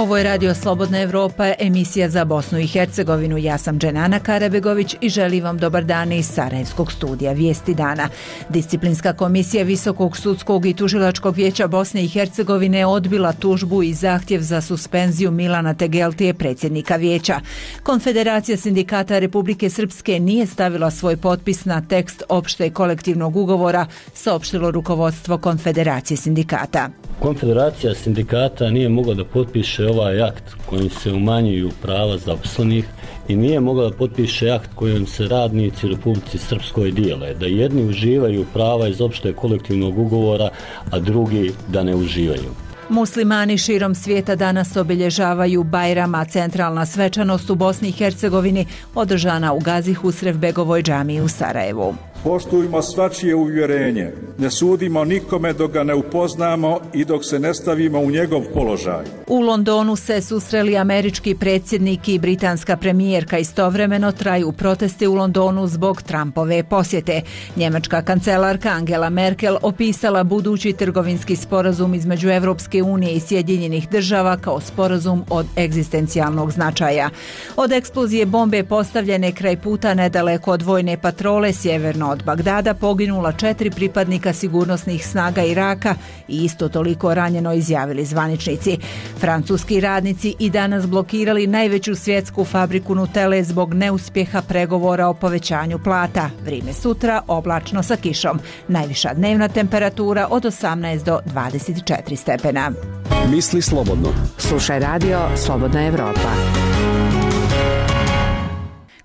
Ovo je Radio Slobodna Evropa, emisija za Bosnu i Hercegovinu. Ja sam Dženana Karabegović i želim vam dobar dan iz Sarajevskog studija Vijesti dana. Disciplinska komisija Visokog sudskog i tužilačkog vijeća Bosne i Hercegovine odbila tužbu i zahtjev za suspenziju Milana Tegeltije, predsjednika vijeća. Konfederacija sindikata Republike Srpske nije stavila svoj potpis na tekst opšte kolektivnog ugovora, saopštilo rukovodstvo Konfederacije sindikata. Konfederacija sindikata nije mogla da potpiše ovaj akt kojim se umanjuju prava zaposlenih i nije mogla da potpiše akt kojim se radnici u Republici Srpskoj dijele, da jedni uživaju prava iz opšte kolektivnog ugovora, a drugi da ne uživaju. Muslimani širom svijeta danas obilježavaju Bajram, a centralna svečanost u Bosni i Hercegovini održana u Gazi Husrevbegovoj džamiji u Sarajevu. Poštujmo svačije uvjerenje, ne sudimo nikome dok ga ne upoznamo i dok se ne stavimo u njegov položaj. U Londonu se susreli američki predsjednik i britanska premijerka. Istovremeno traju protesti u Londonu zbog Trumpove posjete. Njemačka kancelarka Angela Merkel opisala budući trgovinski sporazum između Evropske unije i Sjedinjenih država kao sporazum od egzistencijalnog značaja. Od eksplozije bombe postavljene kraj puta nedaleko od vojne patrole sjeverno od Bagdada poginula 4 pripadnika sigurnosnih snaga Iraka i isto toliko ranjeno, izjavili zvaničnici. Francuski radnici i danas blokirali najveću svjetsku fabriku Nutelle zbog neuspjeha pregovora o povećanju plata. Vrijeme sutra oblačno sa kišom. Najviša dnevna temperatura od 18 do 24 stepena. Misli slobodno. Slušaj Radio Slobodna Evropa.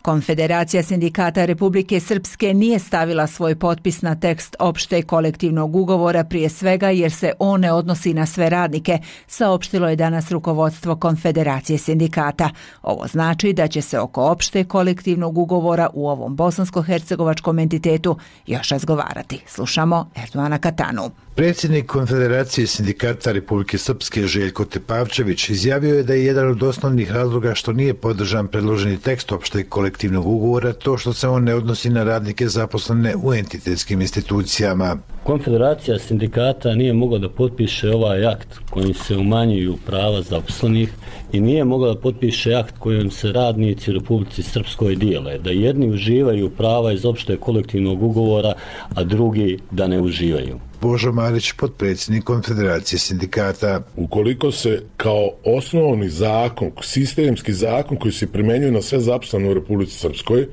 Konfederacija sindikata Republike Srpske nije stavila svoj potpis na tekst opšte kolektivnog ugovora, prije svega jer se on ne odnosi na sve radnike, saopštilo je danas rukovodstvo Konfederacije sindikata. Ovo znači da će se oko opšte kolektivnog ugovora u ovom bosansko-hercegovačkom entitetu još razgovarati. Slušamo Erdoana Katanu. Predsjednik Konfederacije sindikata Republike Srpske Željko Tepavčević izjavio je da je jedan od osnovnih razloga što nije podržan predloženi tekst opšteg kolektivnog ugovora to što se on ne odnosi na radnike zaposlene u entitetskim institucijama. Konfederacija sindikata nije mogla da potpiše ovaj akt kojim se umanjuju prava zaposlenih i nije mogla da potpiše akt kojim se radnici u Republici Srpskoj dijele, da jedni uživaju prava iz opšte kolektivnog ugovora, a drugi da ne uživaju. Božo Marić, potpredsjednik Konfederacije sindikata. Ukoliko se kao osnovni zakon, sistemski zakon koji se primjenjuje na sve zaposlene u Republici Srpskoj,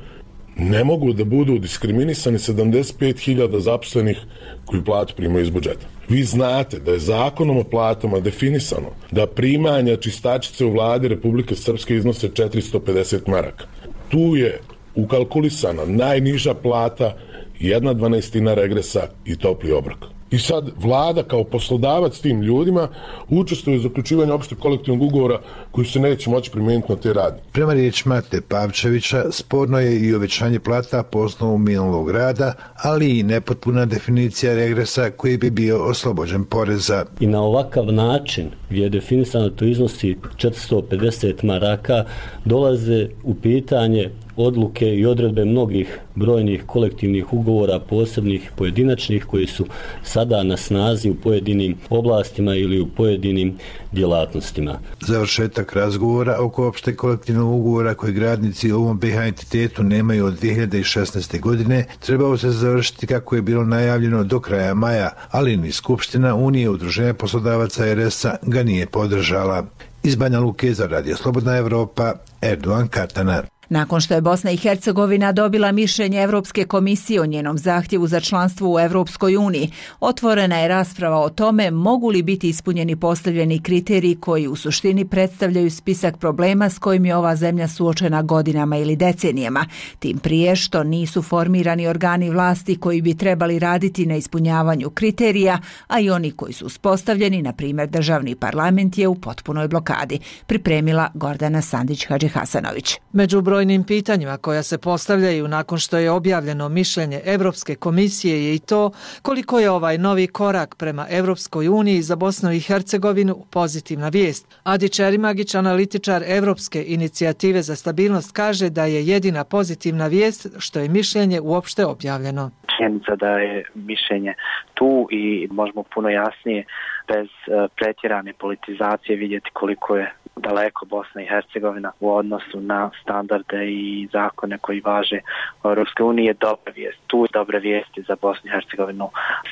ne mogu da budu diskriminisani 75.000 zaposlenih koji platu primaju iz budžeta. Vi znate da je zakonom o platama definisano da primanja čistačice u vladi Republike Srpske iznose 450 maraka. Tu je ukalkulisana najniža plata, 1/12 regresa i topli obrok. I sad vlada kao poslodavac tim ljudima učestvuje u zaključivanju opšteg kolektivnog ugovora koji se neće moći primijeniti na te radnike. Prema riječima Tepavčevića, sporno je i uvećanje plata po osnovu minulog rada, ali i nepotpuna definicija regresa koji bi bio oslobođen poreza. I na ovakav način gdje je definisano to iznosi 450 maraka, dolaze u pitanje odluke i odredbe mnogih brojnih kolektivnih ugovora, posebnih pojedinačnih, koji su sada na snazi u pojedinim oblastima ili u pojedinim djelatnostima. Završetak razgovora oko opšte kolektivnog ugovora koji radnici u ovom BiH entitetu nemaju od 2016. godine trebao se završiti kako je bilo najavljeno do kraja maja, ali ni Skupština Unije udruženja poslodavaca RS-a ga nije podržala. Iz Banja Luke za Radio Slobodna Evropa, Erdoan Katana. Nakon što je Bosna i Hercegovina dobila mišljenje Evropske komisije o njenom zahtjevu za članstvo u Evropskoj uniji, otvorena je rasprava o tome mogu li biti ispunjeni postavljeni kriteriji koji u suštini predstavljaju spisak problema s kojim je ova zemlja suočena godinama ili decenijama, tim prije što nisu formirani organi vlasti koji bi trebali raditi na ispunjavanju kriterija, a i oni koji su uspostavljeni, na primjer državni parlament, je u potpunoj blokadi, pripremila Gordana Sandić-Hadžihasanović. Među brojnim pitanjima koja se postavljaju nakon što je objavljeno mišljenje Evropske komisije je i to koliko je ovaj novi korak prema Evropskoj uniji za Bosnu i Hercegovinu pozitivna vijest. Adi Čerimagić, analitičar Evropske inicijative za stabilnost, kaže da je jedina pozitivna vijest što je mišljenje uopšte objavljeno. Činjenica da je mišljenje tu i možemo puno jasnije bez pretjerane politizacije vidjeti koliko je daleko Bosna i Hercegovina u odnosu na standarde i zakone koji važe u Europskoj uniji je dobra vijest. Tu dobre vijesti za Bosnu i Hercegovinu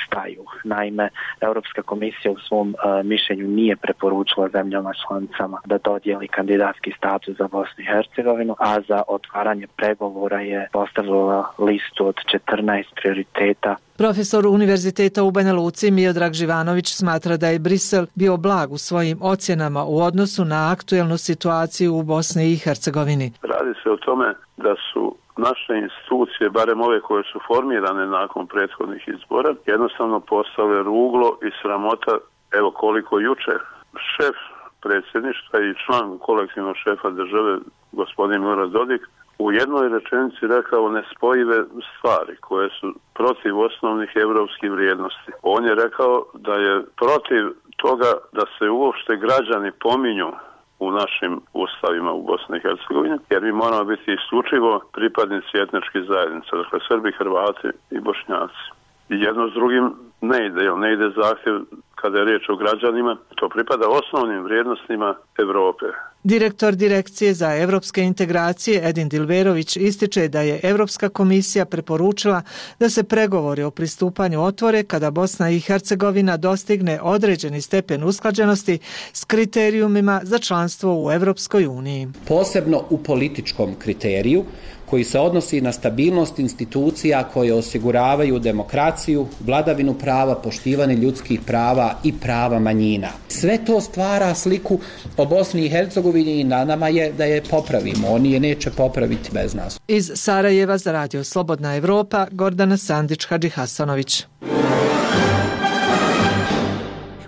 staju. Naime, Europska komisija u svom mišljenju nije preporučila zemljama članicama da dodijeli kandidatski status za Bosnu i Hercegovinu, a za otvaranje pregovora je postavila listu od 14 prioriteta. Profesor Univerziteta u Banja Luci Miodrag Živanović smatra da je Brisel bio blag u svojim ocjenama u odnosu na aktuelnu situaciju u Bosni i Hercegovini. Radi se o tome da su naše institucije, barem ove koje su formirane nakon prethodnih izbora, jednostavno postale ruglo i sramota. Evo koliko jučer šef predsjedništva i član kolektivnog šefa države, gospodin Milorad Dodik, u jednoj rečenici rekao nespojive stvari koje su protiv osnovnih europskih vrijednosti. On je rekao da je protiv toga da se uopšte građani pominju u našim ustavima u Bosni i Hercegovini, jer mi moramo biti isključivo pripadnici etničkih zajednica, dakle Srbi, Hrvati i Bošnjaci. I jedno s drugim ne ide zahtjev kada je riječ o građanima, to pripada osnovnim vrijednostima Europe. Direktor Direkcije za evropske integracije Edin Dilberović ističe da je Europska komisija preporučila da se pregovori o pristupanju otvore kada Bosna i Hercegovina dostigne određeni stepen usklađenosti s kriterijumima za članstvo u Europskoj uniji. Posebno u političkom kriteriju koji se odnosi na stabilnost institucija koje osiguravaju demokraciju, vladavinu prava, poštivanje ljudskih prava i prava manjina. Sve to stvara sliku o Bosni i Hercegovini i na nama je da je popravimo. Oni je neće popraviti bez nas. Iz Sarajeva za Radio Slobodna Evropa, Gordana Sandić-Hadžihasanović.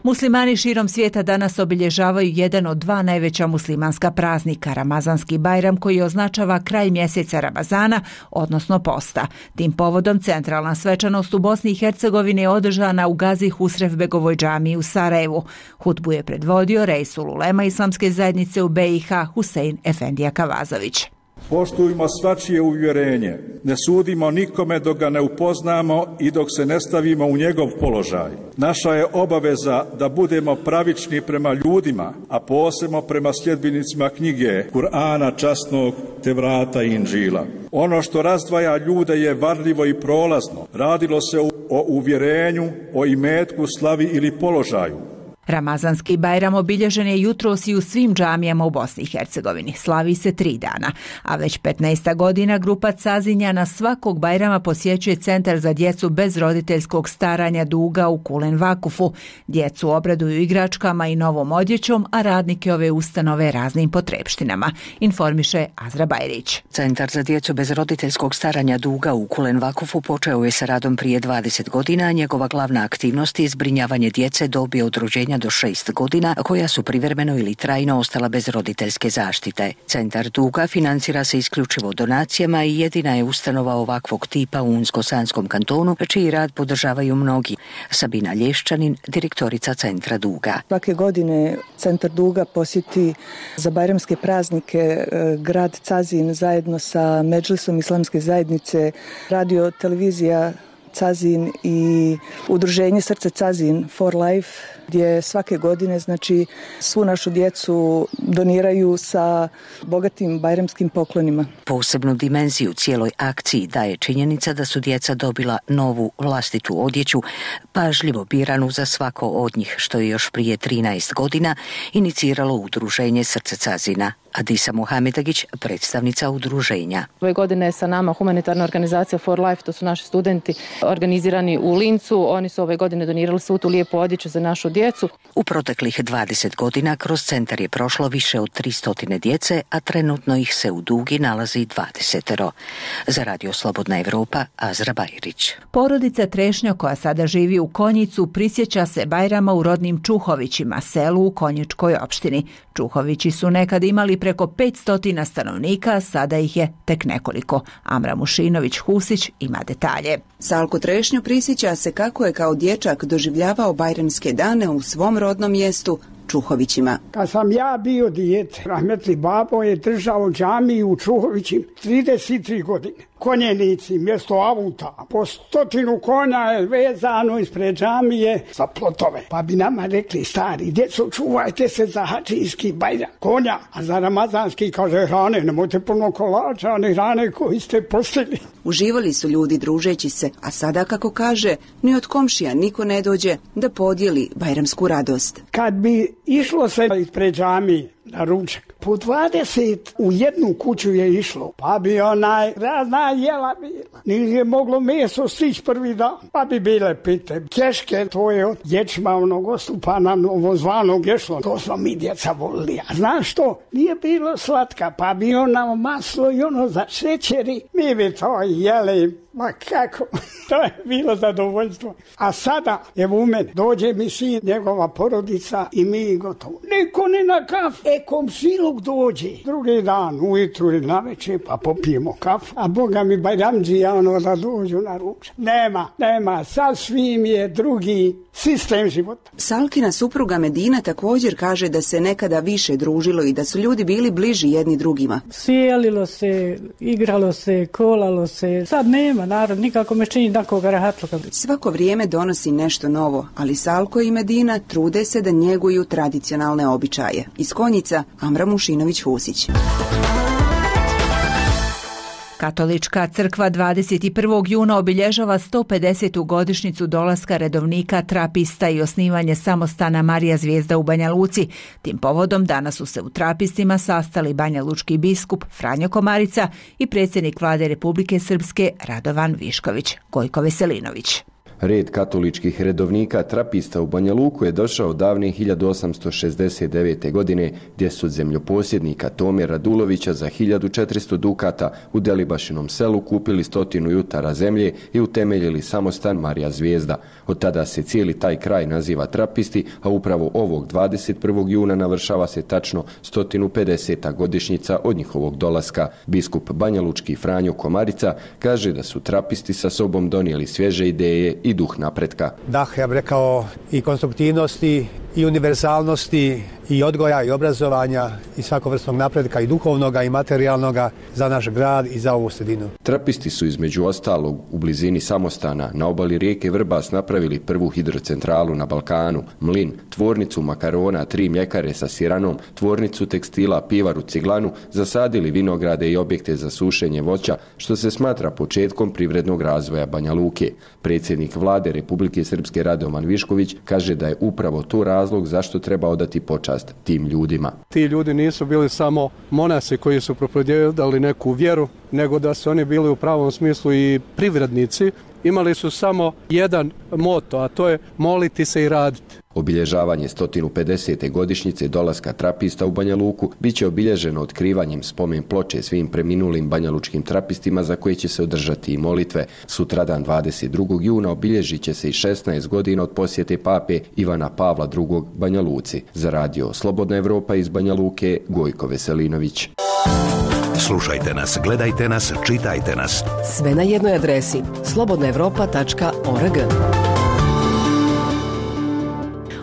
Muslimani širom svijeta danas obilježavaju jedan od dva najveća muslimanska praznika, Ramazanski Bajram, koji označava kraj mjeseca Ramazana, odnosno posta. Tim povodom centralna svečanost u Bosni i Hercegovini je održana u Gazi Husrevbegovoj džamiji u Sarajevu. Hutbu je predvodio Reisul Ulema Islamske zajednice u BiH Husein Efendija Kavazović. Poštujmo svačije uvjerenje, ne sudimo nikome dok ga ne upoznamo i dok se ne stavimo u njegov položaj. Naša je obaveza da budemo pravični prema ljudima, a posebno prema sljedbenicima knjige, Kur'ana časnog, Tevrata i Inđila. Ono što razdvaja ljude je varljivo i prolazno. Radilo se o uvjerenju, o imetku, slavi ili položaju. Ramazanski Bajram obilježen je jutros i u svim džamijama u Bosni i Hercegovini. Slavi se 3 dana, a već 15 godina grupa Cazinjana svakog Bajrama posjećuje Centar za djecu bez roditeljskog staranja Duga u Kulen Vakufu. Djecu obraduju igračkama i novom odjećom, a radnike ove ustanove raznim potrepštinama, informiše Azra Bajrić. Centar za djecu bez roditeljskog staranja Duga u Kulen Vakufu počeo je sa radom prije 20 godina, a njegova glavna aktivnost je zbrinjavanje djece dobi od rođenja do 6 godina koja su privremeno ili trajno ostala bez roditeljske zaštite. Centar Duga financira se isključivo donacijama i jedina je ustanova ovakvog tipa u Unsko-Sanskom kantonu, čiji rad podržavaju mnogi. Sabina Lješćanin, direktorica Centra Duga. Svake godine Centar Duga posjeti za bajramske praznike grad Cazin zajedno sa Medžlisom Islamske zajednice, radio, televizija Cazin i udruženje Srce Cazin for Life, gdje svake godine svu našu djecu doniraju sa bogatim bajramskim poklonima. Posebnu dimenziju cijeloj akciji daje činjenica da su djeca dobila novu vlastitu odjeću, pažljivo biranu za svako od njih, što je još prije 13 godina iniciralo udruženje Srce Cazina. Adisa Muhamedagić, predstavnica udruženja. Ove godine je sa nama humanitarna organizacija For Life, to su naši studenti organizirani u Lincu. Oni su ove godine donirali svu tu lijepu odjeću za našu djecu. U proteklih 20 godina kroz centar je prošlo više od 300 djece, a trenutno ih se u Dugi nalazi 20. Za Radio Slobodna Evropa, Azra Bajrić. Porodica Trešnjo, koja sada živi u Konjicu, prisjeća se Bajrama u rodnim Čuhovićima, selu u Konjičkoj opštini. Čuhovići su nekad imali preko 500 stanovnika, sada ih je tek nekoliko. Amra Mušinović-Husić ima detalje. Salko Trešnjo prisjeća se kako je kao dječak doživljavao bajramske dane u svom rodnom mjestu, Čuhovićima. Kad sam ja bio dijete, rahmetli babo je držao džamiju u Čuhovićima 33 godine. konjenici mjesto auta. Po 100 konja je vezano ispred džamije za plotove. Pa bi nama rekli stari, djeco, čuvajte se za hadžijski Bajram konja, a za ramazanski kaže hrane, nemojte puno kolača, ani hrane koji ste postili. Uživali su ljudi družeći se, a sada, kako kaže, ni od komšija niko ne dođe da podijeli bajramsku radost. Kad bi išlo se ispred džamije na ručak, po 20 u jednu kuću je išlo, pa bi razna jela bila. Nije moglo meso stići prvi dan, pa bi bile pite, keške, to je od ječma onog ostupana novozvanog ješlo. To smo mi djeca volili. A znaš što? Nije bilo slatka, pa bi maslo i za šećeri. Mi bi to jeli. Ma kako, to je bilo zadovoljstvo. A sada, evo u mene, dođe mi sin, njegova porodica i mi gotovo. Niko ne na kafu. Komšiluk dođe. Drugi dan, ujutru ili navečer, pa popijemo kafu. A Boga mi bajramđija da dođu na ručak. Nema, sasvim je drugi sistem života. Salkina supruga Medina također kaže da se nekada više družilo i da su ljudi bili bliži jedni drugima. Sjelilo se, igralo se, kolalo se. Sad nema, narod, nikako me čini takoga rahatluka. Svako vrijeme donosi nešto novo, ali Salko i Medina trude se da njeguju tradicionalne običaje. Iz Konjica, Amra Mušinović-Husić. Katolička crkva 21. juna obilježava 150. godišnjicu dolaska redovnika trapista i osnivanje samostana Marija Zvijezda u Banja Luci. Tim povodom danas su se u trapistima sastali banjalučki biskup Franjo Komarica i predsjednik vlade Republike Srpske Radovan Višković. Gojko Veselinović. Red katoličkih redovnika trapista u Banja Luku je došao davne 1869. godine, gdje su od zemljoposjednika Tome Radulovića za 1400 dukata u Delibašinom selu kupili 100 jutara zemlje i utemeljili samostan Marija Zvijezda. Od tada se cijeli taj kraj naziva Trapisti, a upravo ovog 21. juna navršava se tačno 150. godišnjica od njihovog dolaska. Biskup banjalučki Franjo Komarica kaže da su trapisti sa sobom donijeli svježe ideje i duh napretka. Da, ja bih rekao i konstruktivnosti i univerzalnosti i odgoja i obrazovanja i svakovrsnog napretka i duhovnoga i materijalnoga za naš grad i za ovu sredinu. Trapisti su između ostalog u blizini samostana na obali rijeke Vrbas napravili prvu hidrocentralu na Balkanu, mlin, tvornicu makarona, 3 mljekare sa siranom, tvornicu tekstila, pivaru, ciglanu, zasadili vinograde i objekte za sušenje voća, što se smatra početkom privrednog razvoja Banja Luke. Predsjednik vlade Republike Srpske Radovan Višković kaže da je upravo to razlog zašto treba odati počast tim ljudima. Ti ljudi nisu bili samo monasi koji su propovijedali neku vjeru, nego da su oni bili u pravom smislu i privrednici. Imali su samo jedan moto, a to je moliti se i raditi. Obilježavanje 150. godišnjice dolaska trapista u Banja Luku biće obilježeno otkrivanjem spomen ploče svim preminulim banjalučkim trapistima za koje će se održati i molitve. Sutradan 22. juna obilježit će se i 16 godina od posjete pape Ivana Pavla II. Banja Luci. Za radio Slobodna Evropa iz Banja Luke, Gojko Veselinović. Slušajte nas, gledajte nas, čitajte nas. Sve na jednoj adresi slobodnaevropa.org.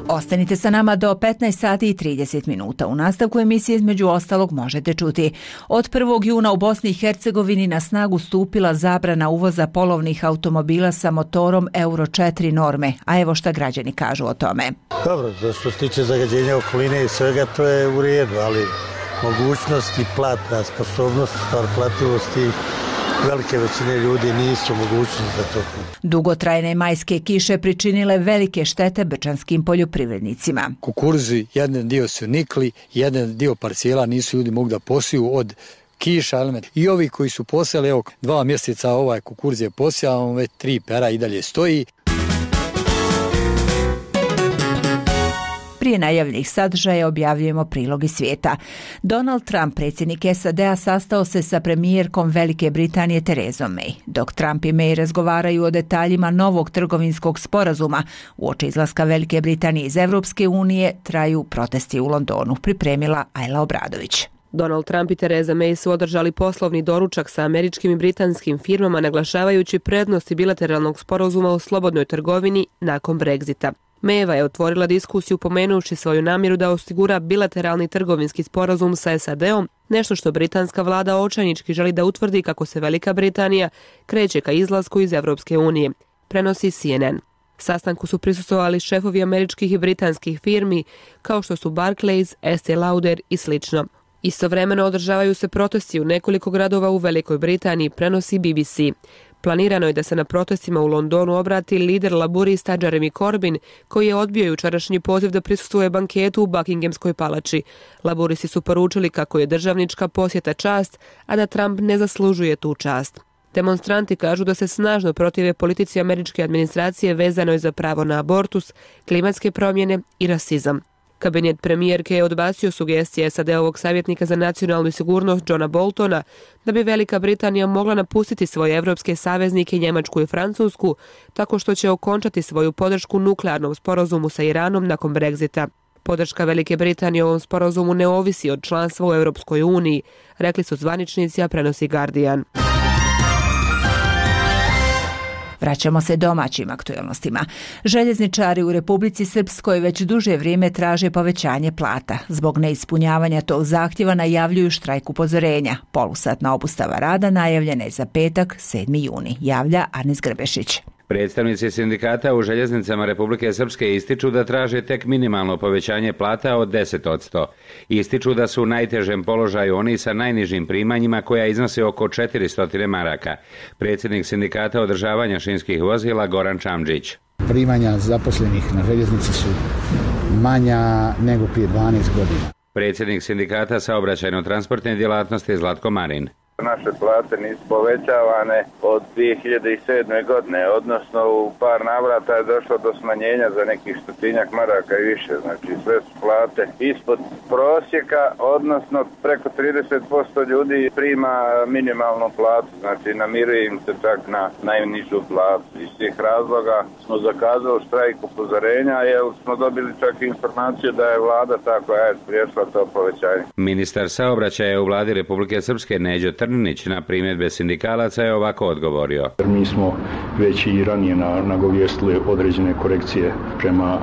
Ostanite sa nama do 15 sati i 30 minuta. U nastavku emisije između ostalog možete čuti. Od 1. juna u Bosni i Hercegovini na snagu stupila zabrana uvoza polovnih automobila sa motorom Euro 4 norme. A evo šta građani kažu o tome. Dobro, što se tiče zagađenja okoline i svega, to je u redu, ali mogućnost i platna sposobnost, stvar plativosti, velike većine ljudi nisu mogućnosti za to. Dugotrajne majske kiše pričinile velike štete brčanskim poljoprivrednicima. Kukuruzi, jedan dio su nikli, jedan dio parcijela nisu ljudi mogli da posiju od kiša. I ovi koji su posijali, evo 2 mjeseca ovaj kukuruz je posijao, već 3 pera i dalje stoji. Prije najavljenih sadržaja objavljujemo prilog iz svijeta. Donald Trump, predsjednik SAD-a, sastao se sa premijerkom Velike Britanije Terezom May. Dok Trump i May razgovaraju o detaljima novog trgovinskog sporazuma, uoči izlaska Velike Britanije iz Europske unije traju protesti u Londonu, pripremila Ajla Obradović. Donald Trump i Tereza May su održali poslovni doručak sa američkim i britanskim firmama, naglašavajući prednosti bilateralnog sporazuma o slobodnoj trgovini nakon Brexita. Mayeva je otvorila diskusiju pomenuši svoju namjeru da osigura bilateralni trgovinski sporazum sa SAD-om, nešto što britanska vlada očajnički želi da utvrdi kako se Velika Britanija kreće ka izlasku iz Evropske unije, prenosi CNN. Sastanku su prisustvovali šefovi američkih i britanskih firmi, kao što su Barclays, Estée Lauder i slično. Istovremeno održavaju se protesti u nekoliko gradova u Velikoj Britaniji, prenosi BBC. Planirano je da se na protestima u Londonu obrati lider laburista Jeremy Corbyn, koji je odbio jučerašnji poziv da prisustvuje banketu u Buckinghamskoj palači. Laburisti su poručili kako je državnička posjeta čast, a da Trump ne zaslužuje tu čast. Demonstranti kažu da se snažno protive politici američke administracije vezanoj za pravo na abortus, klimatske promjene i rasizam. Kabinet premijerke je odbacio sugestije SAD-ovog savjetnika za nacionalnu sigurnost Johna Boltona da bi Velika Britanija mogla napustiti svoje evropske saveznike Njemačku i Francusku tako što će okončati svoju podršku nuklearnom sporazumu sa Iranom nakon Brexita. Podrška Velike Britanije ovom sporazumu ne ovisi od članstva u Europskoj uniji, rekli su zvaničnici, a prenosi Guardian. Vraćamo se domaćim aktuelnostima. Željezničari u Republici Srpskoj već duže vrijeme traže povećanje plata. Zbog neispunjavanja tog zahtjeva najavljuju štrajk upozorenja. Polusatna obustava rada najavljena je za petak 7. juni, javlja Arnis Grbešić. Predstavnici sindikata u željeznicama Republike Srpske ističu da traže tek minimalno povećanje plata od 10%. Ističu da su u najtežem položaju oni sa najnižim primanjima koja iznose oko 400 maraka. Predsjednik sindikata održavanja šinskih vozila Goran Čamđić. Primanja zaposlenih na željeznici su manja nego prije 12 godina. Predsjednik sindikata saobraćajno-transportne djelatnosti Zlatko Marin. Naše plate nisu povećavane od 2007. godine, odnosno u par navrata je došlo do smanjenja za nekih 100-tinjak maraka i više. Znači sve su plate ispod prosjeka, odnosno preko 30% ljudi prima minimalnu platu, znači namiruje im se čak na najnižu platu. Iz tih razloga smo zakazali štrajk upozorenja jer smo dobili čak informaciju da je vlada ta koja je spriječila to povećanje. Ministar saobraćaja u vladi Republike Srpske Neđo Trninić na primjedbe sindikalaca je ovako odgovorio. Mi smo već i ranije nagovijestili određene korekcije prema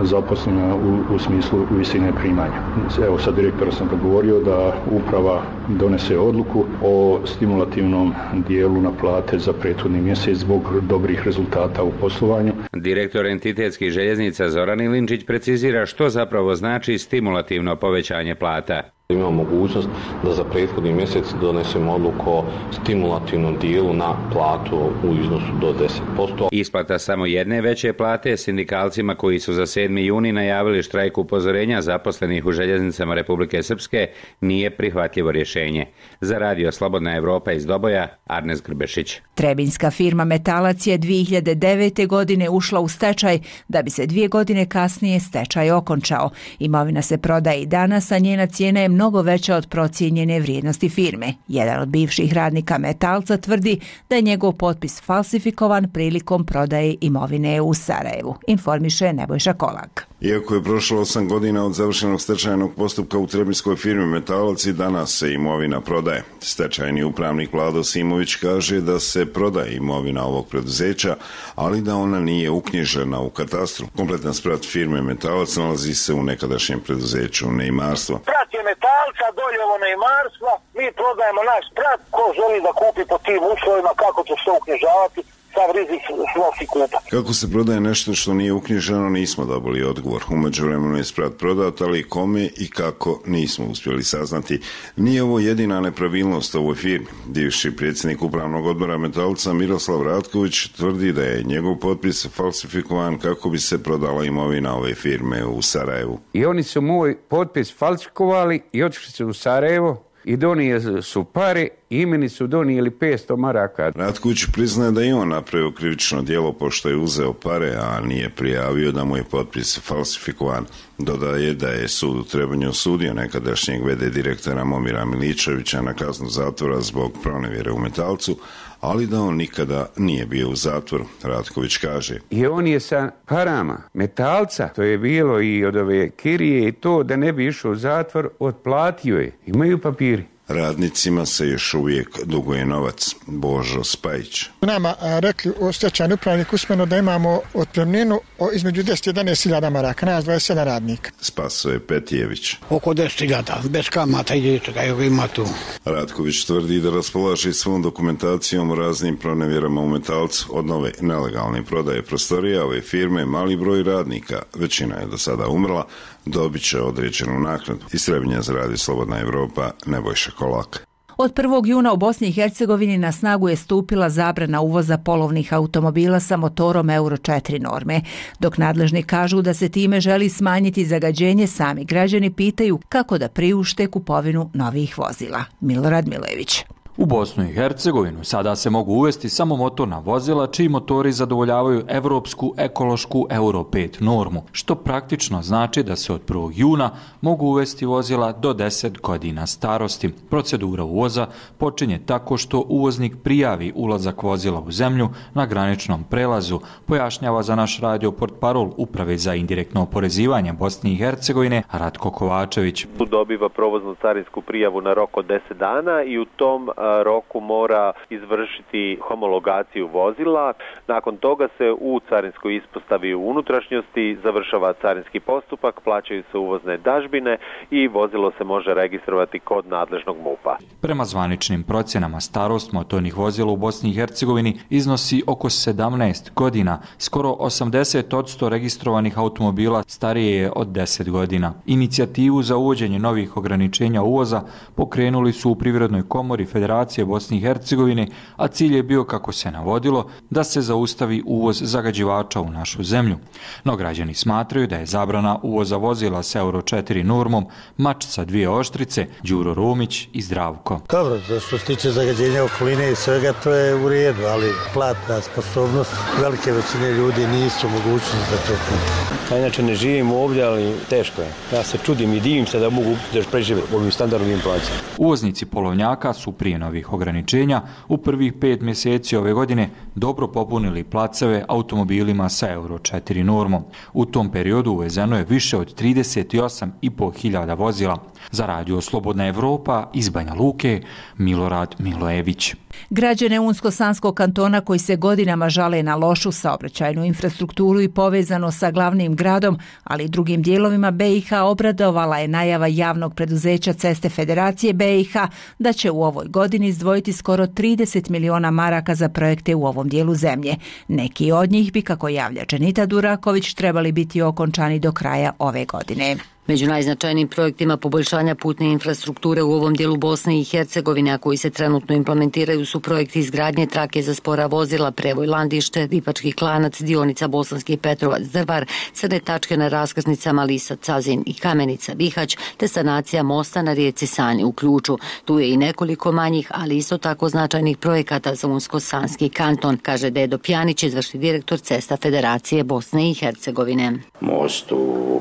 zaposlenima u smislu visine primanja. Evo sad direktora sam govorio da uprava donese odluku o stimulativnom dijelu na plate za prethodni mjesec zbog dobrih rezultata u poslovanju. Direktor entitetskih željeznica Zoran Ilinčić precizira što zapravo znači stimulativno povećanje plata. Imamo mogućnost da za prethodni mjesec donesemo odluku o stimulativnom dijelu na platu u iznosu do 10%. Isplata samo jedne veće plate sindikalcima koji su za 7. juni najavili štrajk upozorenja zaposlenih u željeznicama Republike Srpske nije prihvatljivo rješenje. Za Radio Slobodna Evropa iz Doboja, Arnes Grbešić. Trebinjska firma Metalac je 2009. godine ušla u stečaj da bi se 2 godine kasnije stečaj okončao. Imovina se prodaje i danas, a njena cijena je mnogo veća od procijenjene vrijednosti firme. Jedan od bivših radnika Metalca tvrdi da je njegov potpis falsifikovan prilikom prodaje imovine u Sarajevu, informiše Nebojša Kolak. Iako je prošlo 8 godina od završenog stečajnog postupka u trebinjskoj firmi Metalac, i danas se imovina prodaje. Stečajni upravnik Vlado Simović kaže da se prodaje imovina ovog preduzeća, ali da ona nije uknjižena u katastru. Kompletan sprat firme Metalac nalazi se u nekadašnjem preduzeću Neimarstvo. Sprat je Metalca, dolje ovo Neimarstva, mi prodajemo naš sprat, ko želi da kupi po tim uslovima, kako će se uknjižavati, sav rizik snosi kupac. Kako se prodaje nešto što nije uknjiženo, nismo dobili odgovor. U međuvremenu je sprat prodat, ali kome i kako nismo uspjeli saznati. Nije ovo jedina nepravilnost ovoj firmi. Bivši predsjednik upravnog odbora Metalca Miroslav Ratković tvrdi da je njegov potpis falsifikovan kako bi se prodala imovina ove firme u Sarajevu. I oni su moj potpis falsifikovali i otišli su u Sarajevo i donijeli su pare i meni su donijeli 500 maraka. Ratković priznaje da je on napravio krivično djelo pošto je uzeo pare, a nije prijavio da mu je potpis falsifikovan. Dodaje da je sud u Trebinju osudio nekadašnjeg v.d. direktora Momira Miličevića na kaznu zatvora zbog pronevjere u Metalcu, ali da on nikada nije bio u zatvoru, Ratković kaže. I on je sa parama Metalca, to je bilo i od ove kirije i to, da ne bi išao u zatvor, otplatio je. Imaju papiri. Radnicima se još uvijek duguje novac. Božo Spajić. Nama rekli o stečajnom upravniku usmeno da imamo otpremninu između 10 i 11.000 maraka, nas 27 radnika. Spasoje Petijević. Oko 10.000, bez kamata ima tu. Ratković tvrdi da raspolaže svom dokumentacijom o raznim pronevjerama u Metalcu, od nove nelegalne prodaje prostorija ove firme. Mali broj radnika, većina je do sada umrla, dobit će određenu naknadu. Iz Trebinja za Radio Slobodna Evropa, Nebojša Kolak. Od 1. juna u Bosni i Hercegovini na snagu je stupila zabrana uvoza polovnih automobila sa motorom Euro 4 norme. Dok nadležni kažu da se time želi smanjiti zagađenje, sami građani pitaju kako da priušte kupovinu novih vozila. Milorad Milojević. U Bosnu i Hercegovinu sada se mogu uvesti samo motorna vozila čiji motori zadovoljavaju evropsku ekološku Euro 5 normu, što praktično znači da se od 1. juna mogu uvesti vozila do 10 godina starosti. Procedura uvoza počinje tako što uvoznik prijavi ulazak vozila u zemlju na graničnom prelazu, pojašnjava za naš radio portparol Uprave za indirektno oporezivanje Bosne i Hercegovine Ratko Kovačević. Tu dobiva provoznu carinsku prijavu na rok od 10 dana i u tom roku mora izvršiti homologaciju vozila. Nakon toga se u carinskoj ispostavi u unutrašnjosti završava carinski postupak, plaćaju se uvozne dažbine i vozilo se može registrovati kod nadležnog MUP-a. Prema zvaničnim procjenama starost motornih vozila u Bosni i Hercegovini iznosi oko 17 godina. Skoro 80% registrovanih automobila starije je od 10 godina. Inicijativu za uvođenje novih ograničenja uvoza pokrenuli su u Privrednoj komori Federacije Bosne i Hercegovine, a cilj je bio, kako se navodilo, da se zaustavi uvoz zagađivača u našu zemlju. No građani smatraju da je zabrana uvoza vozila s Euro 4 normom mač sa dvije oštrice. Đuro Rumić i Zdravko. Dobro, što se tiče zagađenja okoline i svega, to je u redu, ali platna sposobnost velike većine ljudi nisu mogućnosti da to kupi. Ja inače ne živim ovdje, ali teško je. Ja se čudim i divim se da mogu da preživjeti ovim standardnim inflacijama. Uvoznici polovnjaka su prije novih ograničenja u prvih 5 mjeseci ove godine dobro popunili placeve automobilima sa Euro 4 normom. U tom periodu uvezeno je više od 38.500 vozila. Za Radio Slobodna Evropa iz Banja Luke, Milorad Milojević. Građane Unsko-Sanskog kantona koji se godinama žale na lošu saobraćajnu infrastrukturu i povezano sa glavnim gradom, ali i drugim dijelovima BiH, obradovala je najava javnog preduzeća Ceste Federacije BiH da će u ovoj godini izdvojiti skoro 30 miliona maraka za projekte u ovom dijelu zemlje. Neki od njih bi, kako javlja Dženita Duraković, trebali biti okončani do kraja ove godine. Među najznačajnijim projektima poboljšanja putne infrastrukture u ovom dijelu Bosne i Hercegovine, a koji se trenutno implementiraju, su projekti izgradnje trake za spora vozila Prevoj Landište, Dipački Klanac, dionica Bosanski Petrovac Drvar, crne tačke na raskrsnicama Lisa Cazin i Kamenica Bihać, te sanacija mosta na rijeci Sani u Ključu. Tu je i nekoliko manjih, ali isto tako značajnih projekata za Unsko-Sanski kanton, kaže Dedo Pjanić, izvršni direktor Cesta Federacije Bosne i Hercegovine. Most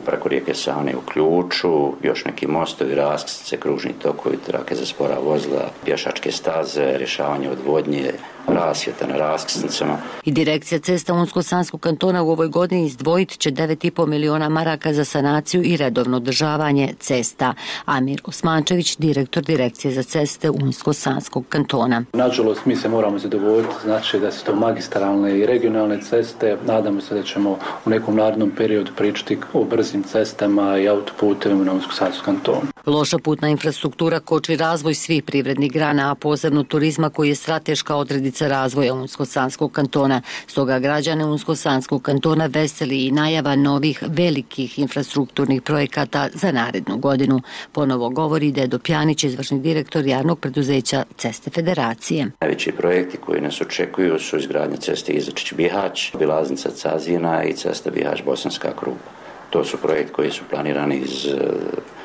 preko rijeke Sane u Ključu, još neki mostovi, raskrsnice, kružni tokovi, trake za spora vozila, pješačke staze, rješavanje odvodnje, rasvjeta na raskrsnicama. I direkcija Cesta Unsko-Sanskog kantona u ovoj godini izdvojit će 9,5 miliona maraka za sanaciju i redovno održavanje cesta. Amir Osmančević, direktor direkcije za ceste Unsko-Sanskog kantona. Nažalost, mi se moramo zadovoljiti, znači da su to magistralne i regionalne ceste. Nadamo se da ćemo u nekom narednom periodu pričati o brzim cestama i autoputevima na Unsko-Sanskom kantonu. Loša putna infrastruktura koči razvoj svih privrednih grana, a posebno turizma koji je strateška odrednica razvoja Unsko-Sanskog kantona. Stoga građane Unsko-Sanskog kantona veseli i najava novih velikih infrastrukturnih projekata za narednu godinu. Ponovo govori Dedo Pjanić, izvršni direktor javnog preduzeća Ceste Federacije. Najveći projekti koji nas očekuju su izgradnja ceste Izačić-Bihać, obilaznica Cazina i cesta Bihać-Bosanska Krupa. To su projekti koji su planirani iz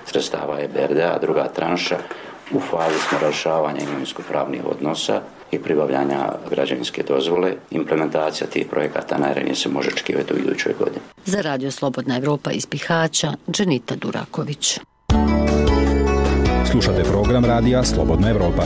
sredstava EBRD-a, druga tranša. U fazi smo rješavanja imovinsko-pravnih odnosa i pribavljanja građevinske dozvole. Implementacija tih projekata najranije se može očekivati u idućoj godini. Za Radio Slobodna Evropa iz Bihaća, Dženita Duraković. Slušate program radija Slobodna Evropa.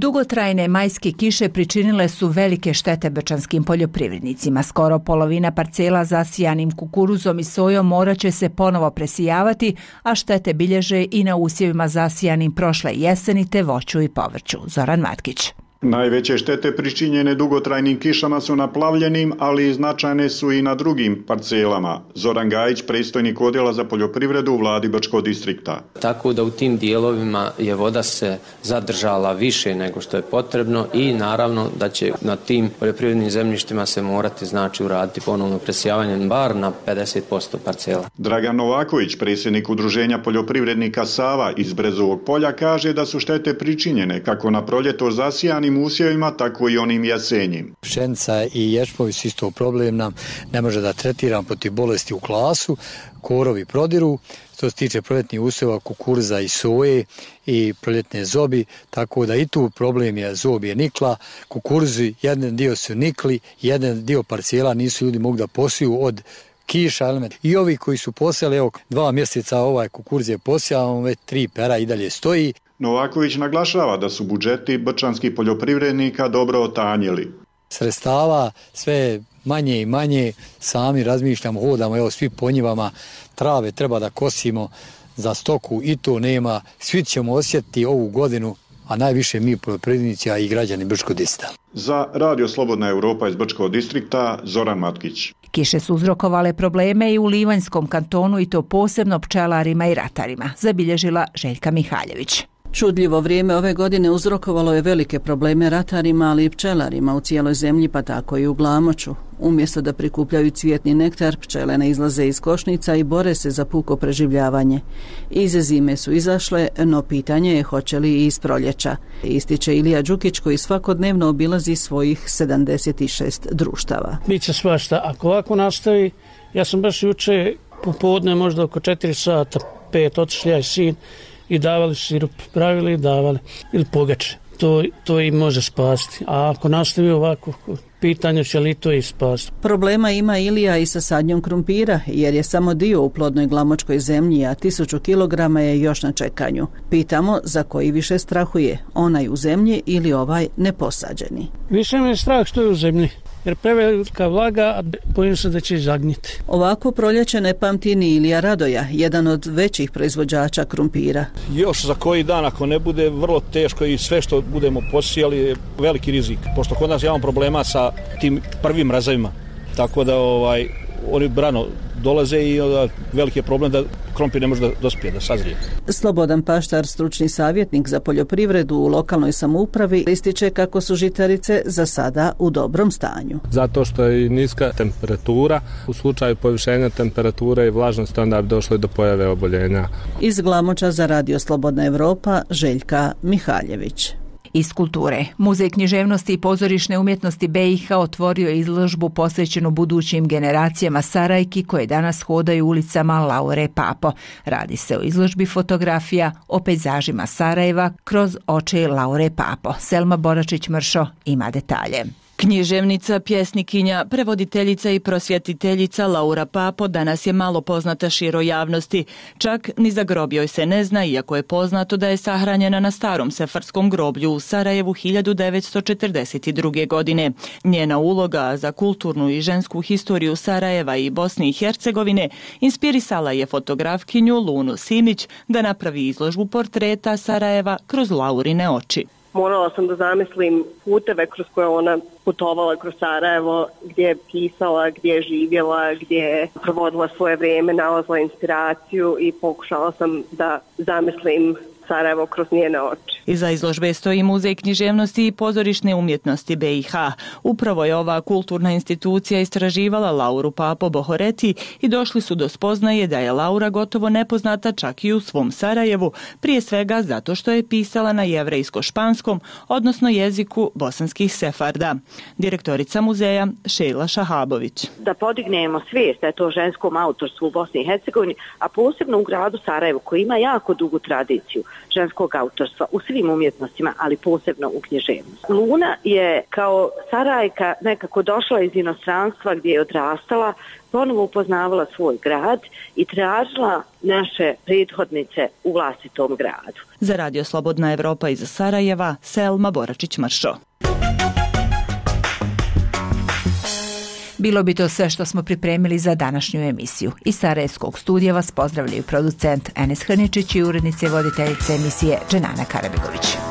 Dugotrajne majske kiše pričinile su velike štete brčanskim poljoprivrednicima. Skoro polovina parcela zasijanim kukuruzom i sojom morat će se ponovo presijavati, a štete bilježe i na usjevima zasijanim prošle jeseni te voću i povrću. Zoran Matkić. Najveće štete pričinjene dugotrajnim kišama su na plavljenim, ali i značajne su i na drugim parcelama. Zoran Gajić, predstojnik odjela za poljoprivredu u vladi Brčkog distrikta. Tako da u tim dijelovima je voda se zadržala više nego što je potrebno i naravno da će na tim poljoprivrednim zemljištima se morati uraditi ponovno presijavanje bar na 50% parcela. Dragan Novaković, predsjednik udruženja poljoprivrednika Sava iz Brezovog polja, kaže da su štete pričinjene kako na proljeto zasijanim usjevima, tako i onim jesenjim. Pšenica i ječmovi su isto problem nam, ne može da tretiram protiv bolesti u klasu, korovi prodiru, što se tiče proljetnih usjeva kukuruza i soje i proljetne zobi, tako da i tu problem je zob je nikla, kukuruzi jedan dio su nikli, jedan dio parcijela nisu ljudi mogli da posiju od kiša, element. I ovi koji su posijali, evo 2 mjeseca ovaj kukuruz je posijao, već 3 pera i dalje stoji. Novaković naglašava da su budžeti brčanskih poljoprivrednika dobro otanjili. Sredstava sve manje i manje, sami razmišljamo, hodamo, evo svi po njivama, trave treba da kosimo za stoku i to nema. Svi ćemo osjetiti ovu godinu, a najviše mi poljoprivrednici, a i građani Brčkog distrikta. Za Radio Slobodna Europa iz Brčkog distrikta, Zoran Matkić. Kiše su uzrokovale probleme i u Livanjskom kantonu i to posebno pčelarima i ratarima, zabilježila Željka Mihaljević. Čudljivo vrijeme ove godine uzrokovalo je velike probleme ratarima, ali i pčelarima u cijeloj zemlji, pa tako i u Glamoču. Umjesto da prikupljaju cvjetni nektar, pčele ne izlaze iz košnica i bore se za puko preživljavanje. Iz zime su izašle, no pitanje je hoće li i iz proljeća. Ističe Ilija Đukić koji svakodnevno obilazi svojih 76 društava. Biće svašta. Ako ovako nastavi, ja sam baš juče popodne, možda oko 4 sata, 5, otišli ja i sin, i davali sirup, pravili i davali, ili pogače. To i može spasti. A ako nastavi ovako, pitanje će li to i spasti. Problema ima Ilija i sa sadnjom krumpira, jer je samo dio u plodnoj glamočkoj zemlji, a 1000 kilograma je još na čekanju. Pitamo za koji više strahuje, onaj u zemlji ili ovaj neposađeni. Više me je strah što je u zemlji, jer prevelika vlaga, a bojim se da će zagniti. Ovako proljeće ne pamti ni Ilija Radoja, jedan od većih proizvođača krumpira. Još za koji dan, ako ne bude, vrlo teško i sve što budemo posijali je veliki rizik, pošto kod nas imamo problema sa tim prvim mrazovima, tako da oni brano dolaze i veliki je problem da krompir ne može da dospije, da sazrije. Slobodan Paštar, stručni savjetnik za poljoprivredu u lokalnoj samoupravi, ističe kako su žitarice za sada u dobrom stanju. Zato što je niska temperatura, u slučaju povišenja temperature i vlažnosti onda bi došlo do pojave oboljenja. Iz Glamoča za Radio Slobodna Europa, Željka Mihaljević. Iz kulture. Muzej književnosti i pozorišne umjetnosti BiH otvorio je izložbu posvećenu budućim generacijama Sarajki koje danas hodaju ulicama Laure Papo. Radi se o izložbi fotografija o pejzažima Sarajeva kroz oči Laure Papo. Selma Boračić-Mršo ima detalje. Književnica, pjesnikinja, prevoditeljica i prosvjetiteljica Laura Papo danas je malo poznata široj javnosti. Čak ni za grob joj se ne zna, iako je poznato da je sahranjena na starom sefarskom groblju u Sarajevu 1942. godine. Njena uloga za kulturnu i žensku historiju Sarajeva i Bosne i Hercegovine inspirisala je fotografkinju Lunu Simić da napravi izložbu portreta Sarajeva kroz Laurine oči. Morala sam da zamislim puteve kroz koje ona putovala kroz Sarajevo, gdje je pisala, gdje je živjela, gdje je provodila svoje vrijeme, nalazila inspiraciju i pokušala sam da zamislim Sarajevo kroz njene oči. Iza izložbe stoji Muzej književnosti i pozorišne umjetnosti BiH. Upravo je ova kulturna institucija istraživala Lauru Papo Bohoreti i došli su do spoznaje da je Laura gotovo nepoznata čak i u svom Sarajevu, prije svega zato što je pisala na jevrejsko-španskom, odnosno jeziku bosanskih sefarda. Direktorica muzeja Šejla Šahabović. Da podignemo svijest da je to ženskom autorstvu u Bosni i Hercegovini, a posebno u gradu Sarajevu koji ima jako dugu tradiciju. ženskog autorstva u svim umjetnostima, ali posebno u književnosti. Luna je kao Sarajka nekako došla iz inostranstva gdje je odrastala, ponovo upoznavala svoj grad i tražila naše prethodnice u vlastitom gradu. Za Radio Slobodna Evropa iz Sarajeva, Selma Boračić-Mršo. Bilo bi to sve što smo pripremili za današnju emisiju. Iz Sarajevskog studija vas pozdravljaju producent Enes Hrničić i urednice voditeljice emisije Dženana Karabegović.